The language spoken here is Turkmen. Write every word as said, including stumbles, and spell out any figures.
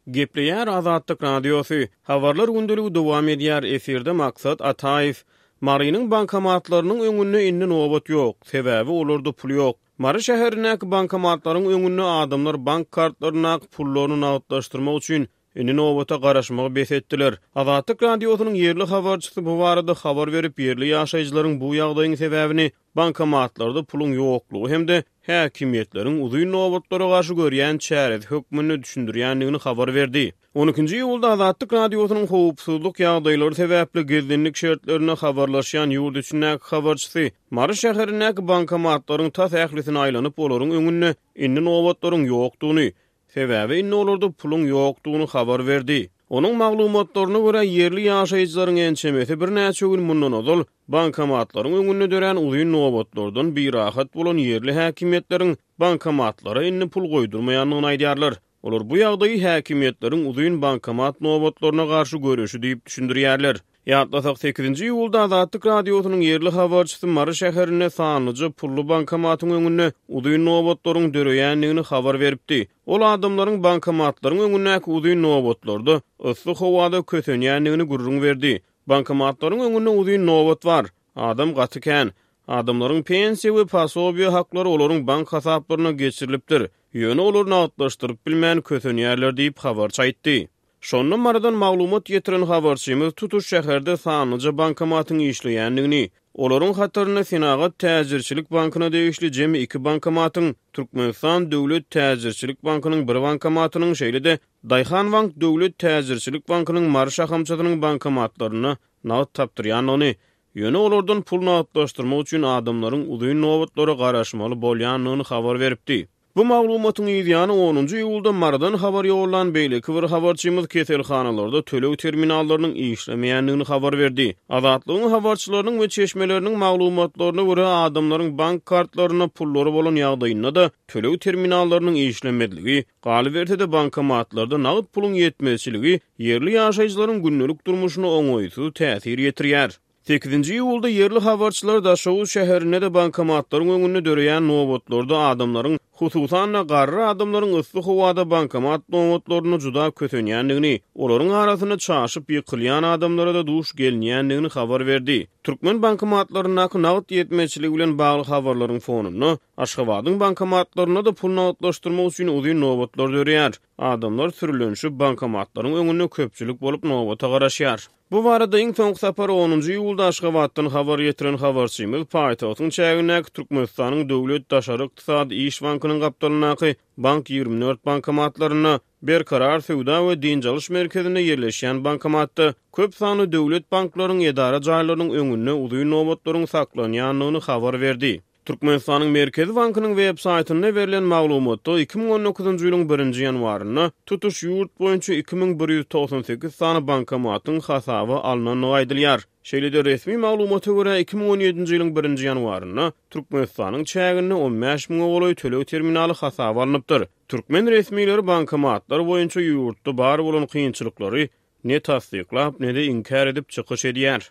Gepleýär Azatlyk Radiosy. Habarlar gündeligi dowam edýär. Efirde Maksat Ataýew. Marynyň bankomatlarynyň öňünde indi nobat ýok. Sebäbi olarda pul ýok. Mary şäherindäki bankomatlaryň öňünde adamlar bank kartlaryndaky pullaryny nagtlaşdyrmak üçin indi nobata garaşmagy bes etdiler. Azatlyk Radiosynyň ýerli habarçysy bu barada habar berip, ýerli ýaşaýjylaryň bu ýagdaýyň sebäbini bankomatlarda puluň ýoklugy hem-de häkimiýetleriň uzyn nobatlara garşy görýän çäresi hökmünde düşündirýändigini habar berdi. on ikinji iýulda Azatlyk Radiosynyň howpsuzlyk ýagdaýlary sebäpli gizlinlik şertlerinde habarlaşýan ýurt içindäki habarçysy Mary şäherindäki bankomatlaryň tas ählisini aýlanyp, olaryň öňünde indi nobatlaryň ýokdugyny, sebäbi indi olarda puluň ýokdugyny habar berdi. Onuň maglumatlaryna görä, ýerli ýaşaýjylaryň ençemesi birnäçe gün mundan ozal bankomatlaryň öňünde dörän uzyn nobatlardan birahat bolan ýerli häkimiýetleriň bankomatlara indi pul goýdurmaýandygyny aýdýarlar. Olar bu ýagdaýy häkimiýetleriň uzyn bankomat nobatlaryna garşy göreşi diýip düşündirýärler. Ýatlasak, sekizinji iýulda Azatlyk Radiosynyň ýerli habarçysy Mary şäherinde sanlyja pully bankomatyň öňünde uzyn nobatlaryň döreýändigini habar beripdi. Ol adamlaryň bankomatlaryň öňündäki uzyn nobatlarda yssy howada kösenýändigini gürrüň berdi. Bankomatlaryň öňünde uzyn nobat bar. Adam gaty kän. Adamlaryň pensiýa we posobiýa haklary olaryň bank hasaplaryna geçirilipdir. Ýöne olar nagtlaşdyryp bilmän kösenýärler diýip habarçy aýtdy. Şonda Marydan maglumat getiren habarçymyz tutuş şäherde sanlyja bankomatyň işleýändigini, olaryň hatarynda Senagat täjirçilik bankyna degişli jemi iki bankomatyň, Türkmenistan Döwlet täjirçilik bankynyň bir bankomatynyň, şeýle-de Daýhan bank Döwlet täjirçilik bankynyň Mary şahamçasynyň bankomatlarynda nagt tapdyrýandygyny, ýöne olardan pul nagtlaşdyrmak üçin adamlaryň uzyn nobatlara garaşmaly bolýandygyny habar beripdi. Bu maglumatyň yzýany onunjy iýulda Marydan habar ýollan beýleki bir habarçymyz keselhanalarda töleg terminallarynyň işlemeýändigini habar berdi. Azatlygyň habarçylarynyň we çeşmeleriniň maglumatlaryna görä, adamlaryň bank kartlarynda pullary bolan ýagdaýynda-da töleg terminallarynyň işlemezligi, galyberse-de bankomatlarda nagt puluň ýetmezçiligi ýerli ýaşaýjylaryň gündelik durmuşyna oňaýsyz täsir ýetirýär. Sekizinji iýulda ýerli habarçylar Daşoguz şäherinde-de bankomatlaryň öňünde döreýän nobatlarda adamlaryň, hususan-da garry adamlaryň yssy howada bankomat nobatlarynda juda kösenýändigini, olaryň arasynda çaşyp ýykylýan adamlara-da duş gelinýändigini habar berdi. Türkmen bankomatlaryndaky nagt ýetmezçiligi bilen bagly habarlaryň fonunda Aşgabadyň bankomatlarynda-da pul nagtlaşdyrmak üçin uzyn nobatlar döreýär. Adamlar sürülenişip bankomatlaryň öňünde köpçülik bolup nobata garaşýar. Bu barada iň soňky sapar onunjy iýulda Aşgabatdan habar getiren habarçymyz paýtagtyň çägindäki Türkmenistanyň Döwlet Daşary Ykdysady Iş Bankynyň gapdalyndaky Bank ýigrimi dört bankomatlarynda, Berkarar söwda we dynç alyş merkezinde ýerleşýän bankomatda köp sanly döwlet banklaryň edara jaýlarynyň öňünde uzyn nobatlaryň saklanýandygyny habar berdi. Türkmenistanyň Merkezi Bankynyň web saýtynda berlen maglumatda iki müň on dokuzynjy ýylyň birinji ýanwarynda tutuş ýurt boýunça iki müň bir ýüz togsan sekiz sany bankomatyň hasaba alnandygy aýdylýar. Şeýle-de resmi maglumata görä iki müň on ýedinji ýylyň birinji ýanwarynda Türkmenistanyň çäginde on bäş müňe golaý töleg terminaly hasaba alnypdyr. Türkmen resmileri bankomatlar boýunça ýurtda bar bolan kynçylyklary ne tassyklap, ne-de inkär edip çykyş edýär.